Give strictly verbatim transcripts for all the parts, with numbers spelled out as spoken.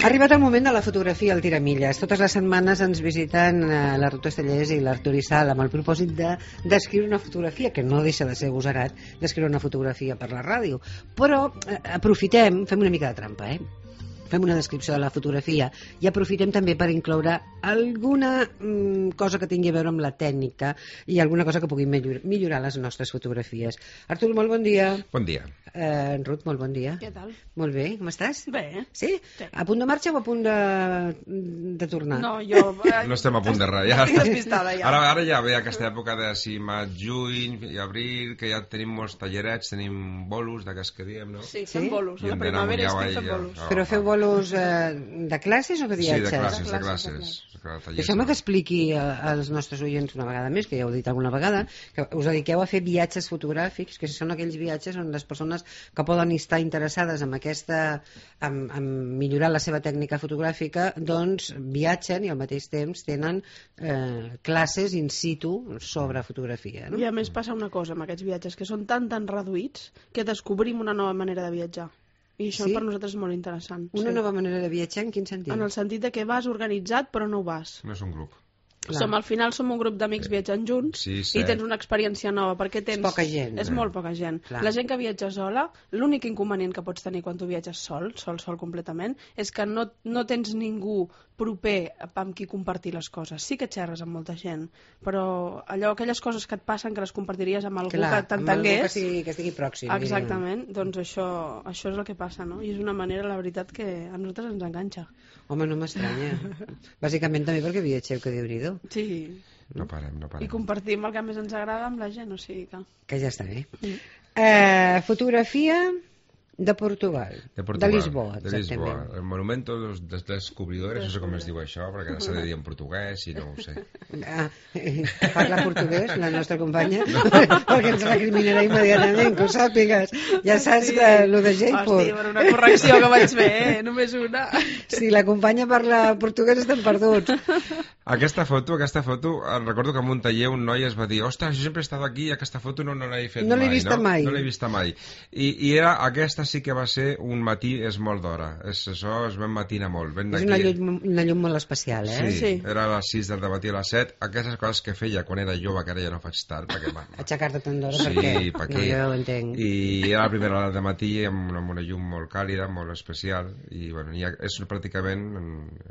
Ha arribat el moment de la fotografia al Tiramilles. Totes les setmanes ens visiten eh, l'Artur Estellés i l'Artur Issal amb el propòsit de descriure una fotografia, que no deixa de ser agosarat d'escriure una fotografia per la ràdio. Però eh, aprofitem, fem una mica de trampa, eh? Fem una descripció de la fotografia i aprofitem també per incloure alguna mm, cosa que tingui a veure amb la tècnica i alguna cosa que pugui millor, millorar les nostres fotografies. Artur, molt bon dia. Bon dia. Eh, Ruth, molt bon dia. Què tal? Molt bé, com estàs? Bé. Sí? Sí. A punt de marxa o a punt de, de tornar? No, jo... No estem a punt de res. Ja. Estic despistada, ja. Ara, ara ja ve aquesta època de si maig, juny i abril, que ja tenim molts tallerets, tenim bolos, d'aquests que diem, no? Sí, fem Sí? bolos. I A la hem d'anar primavera amunt, estic fent ja, bolos. ja. Però feu bolos eh, de classes o de Sí, viatges? de classes, de De classes. classes, Deixeu-me que expliqui a- als nostres oients una vegada més, que ja ho he dit alguna vegada, que us dediqueu a fer viatges fotogràfics, que són aquells viatges on les persones que poden estar interessades en aquesta, en, en millorar la seva tècnica fotogràfica, doncs viatgen i al mateix temps tenen eh, classes in situ sobre fotografia, no? I a més passa una cosa amb aquests viatges, que són tan tan reduïts que descobrim una nova manera de viatjar. I això Sí? per nosaltres és molt interessant. Una sí. nova manera de viatjar, en quin sentit? En el sentit de que vas organitzat però no ho vas. No és un grup. Clar. Som, al final som un grup d'amics viatjant junts Sí, i set. tens una experiència nova perquè tens... És poca gent. És molt poca gent. Clar. La gent que viatja sola, l'únic inconvenient que pots tenir quan tu viatges sol, sol, sol completament, és que no, no tens ningú proper amb qui compartir les coses. Sí que xerres amb molta gent, però allò, aquelles coses que et passen que les compartiries amb algú Clar, que amb algú que t'entengués... estigui, que estigui pròxim. Exactament, doncs això, això és el que passa, no? I és una manera, la veritat, que a nosaltres ens enganxa. Diguem. Home, no m'estranya. Bàsicament també perquè viatgeu, que Déu-n'hi-do. Sí, No parem, no i parem. compartim el que més ens agrada amb la gent, o sigui que... Que ja està bé. Mm. Eh, fotografia de Portugal. De Portugal, De Lisboa, de Lisboa. exactament. El monumento dels, dels descobridores, no sé com es diu això, perquè s'ha de dir en portuguès i no ho sé. Ah, parla portuguès, la nostra companya, perquè ens recriminarà immediatament, que ho sàpigues. Ja saps que el de Jaipur, Hòstia, per una correcció que vaig fer, eh? Només una. si la companya parla portuguès estem perduts. Aquesta foto, aquesta foto, em recordo que en un taller un noi es va dir ostres, jo sempre he estat aquí i aquesta foto no, no l'he fet No l'he mai, vista no? mai. No l'he vista mai. I, I era, aquesta sí que va ser un matí, és molt d'hora. És, això es ben matina molt. Ben És d'aquí. una llum, una llum molt especial, eh? Sí, Sí. era a les sis del matí a les set. Aquestes coses que feia quan era jove, que ara ja no faig tant, perquè... va, va. Aixecar-te tant d'hora, Sí, per què? per No, què? jo ho entenc. I era la primera hora de matí amb una, amb una llum molt càlida, molt especial i bueno, ja és pràcticament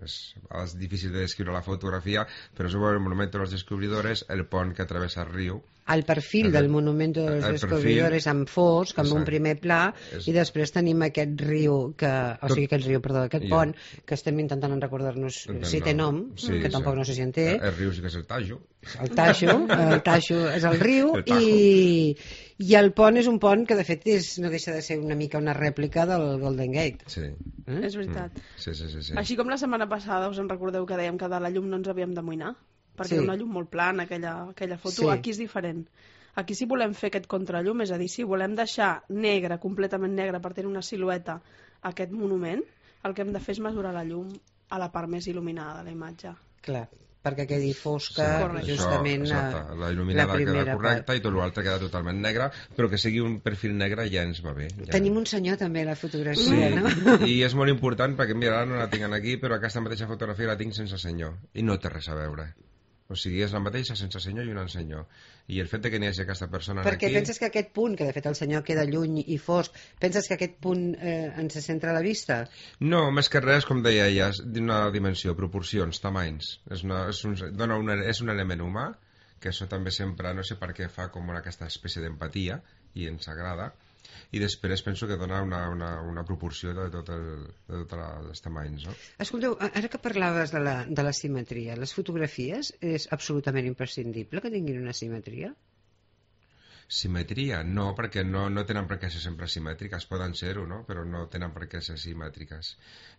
és, és difícil de descriure la fotografia, però és el monumento de los descubridores, el pont que travessa el riu. El perfil El- del Monumento de los el Descobridores en fosc, amb un Exacte. primer pla, És- i després tenim aquest riu, que, o sigui, aquest riu, perdó, aquest I- pont, que estem intentant recordar-nos si té nom, Sí, que tampoc sí. no sé si en té, El riu sí que és el Tajo. el Tajo, el Tajo és el riu, El Tajo. i, i el pont és un pont que de fet és, no deixa de ser una mica una rèplica del Golden Gate. Sí. Eh? És veritat. Sí, sí, sí, sí. Així com la setmana passada us en recordeu que dèiem que de la llum no ens havíem d'amoïnar, perquè Sí. era una llum molt plana aquella, aquella foto, Sí. aquí és diferent. Aquí si volem fer aquest contrallum, és a dir, si volem deixar negre, completament negre, per tenir una silueta aquest monument, el que hem de fer és mesurar la llum a la part més il·luminada de la imatge. Clar, perquè quedi fosca, Correcte. justament Això, a exacte. La il·luminada la queda primera correcta part. i tot l'altre queda totalment negre, però que sigui un perfil negre ja ens va bé. Ja. Tenim un senyor també a la fotografia, Sí, no? i és molt important perquè mira, ara no la tinc aquí, però aquesta mateixa fotografia la tinc sense senyor i no té res a veure. O sigui, és la mateixa sense senyor i un senyor. I el fet de que n'hi hagi aquesta persona Perquè aquí... penses que aquest punt, que de fet el senyor queda lluny i fosc, penses que aquest punt eh, ens centra la vista? No, més que res, com deia ella, és d'una dimensió, proporcions, tamanys. És, una, és, un, dona una, és un element humà, que això també sempre, no sé per què, fa com una, aquesta espècie d'empatia, i ens agrada. I després penso que dona una, una, una proporció de tots tot els tamanys, no? Escolteu, ara que parlaves de la, de la simetria, les fotografies és absolutament imprescindible que tinguin una simetria? Simetria? No, perquè no, no tenen per què ser sempre simètriques, poden ser-ho, no? Però no tenen per què ser simètriques.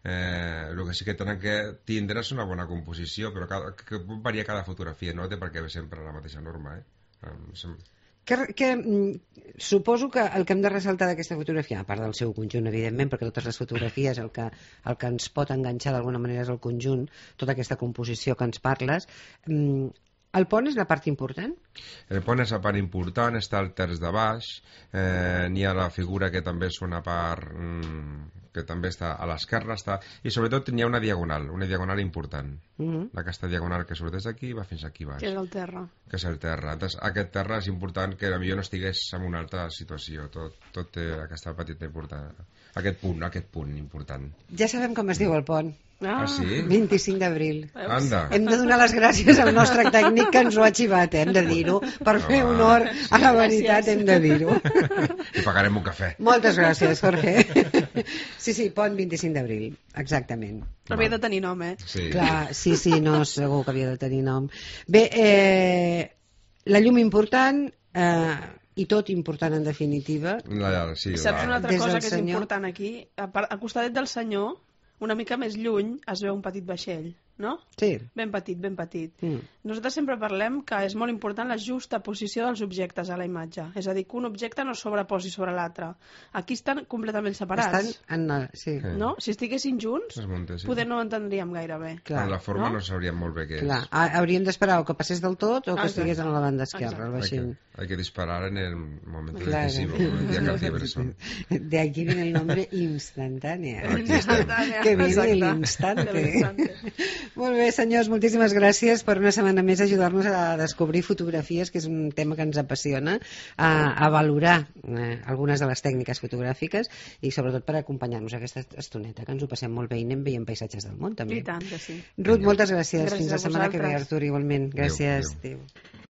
Eh, el que sí que tenen que tindre és una bona composició, però cada, que pot variar cada fotografia, no té per què haver sempre la mateixa norma, eh? Eh, Que, que, mm, suposo que el que hem de ressaltar d'aquesta fotografia, a part del seu conjunt, evidentment, perquè totes les fotografies el que, el que ens pot enganxar d'alguna manera és el conjunt, tota aquesta composició que ens parles, mm, El pont és la part important? El pont és la part important, està el terç de baix, eh, n'hi ha la figura que també és una part mm, que també està a l'esquerra, està, i sobretot n'hi ha una diagonal, una diagonal important. Mm -hmm. Aquesta diagonal que surt des d'aquí va fins aquí baix. Que és el terra. Que és el terra. Entonces, aquest terra és important que potser no estigués en una altra situació. Tot, tot té aquesta petita importància. Aquest punt, aquest punt important. Ja sabem com es diu el pont. Ah, ah sí? vint-i-cinc d'abril. Anda. Hem de donar les gràcies al nostre tècnic que ens ho ha xivat, eh? Hem de dir-ho. Per fer Ah, honor a la sí, veritat gràcies. hem de dir-ho. I pagarem un cafè. Moltes gràcies, Jorge. Sí, sí, pont vint-i-cinc d'abril, exactament. Havia de tenir nom, eh? Sí. Clar, sí, sí, no, segur que havia de tenir nom. Bé, eh, la llum important eh, i tot important en definitiva. La, sí, Saps la... una altra Des cosa del que és senyor. important aquí? A part- Al costadet del senyor, una mica més lluny, es veu un petit vaixell, no? Sí. Ben petit, ben petit. Mm. Nosaltres sempre parlem que és molt important la justa posició dels objectes a la imatge. És a dir, que un objecte no es sobreposi sobre l'altre. Aquí estan completament separats. Estan en la... Sí, Sí. No? Si estiguessin junts, Es munta, sí. poder no ho entendríem gaire bé. clar. En la forma no? no, sabríem molt bé què Clar, és. ha- hauríem d'esperar o que passés del tot o que Exacte. estigués a la banda esquerra, el Hay vaixell. que, hay que disparar en el momento Claro. decisivo, como decía García Bresson. De aquí viene el nombre instantánea. Aquí estem. Que viene Exacte. el instante. De l'instante. Molt bé, senyors, moltíssimes gràcies per una setmana més ajudar-nos a descobrir fotografies, que és un tema que ens apassiona, a, a valorar eh, algunes de les tècniques fotogràfiques i sobretot per acompanyar-nos aquesta estoneta, que ens ho passem molt bé i anem veient paisatges del món, també. I tant que sí. Ruth, moltes gràcies. Gràcies Fins la a setmana que ve, vosaltres. Artur, igualment. Gràcies. Adéu, adéu. Adéu.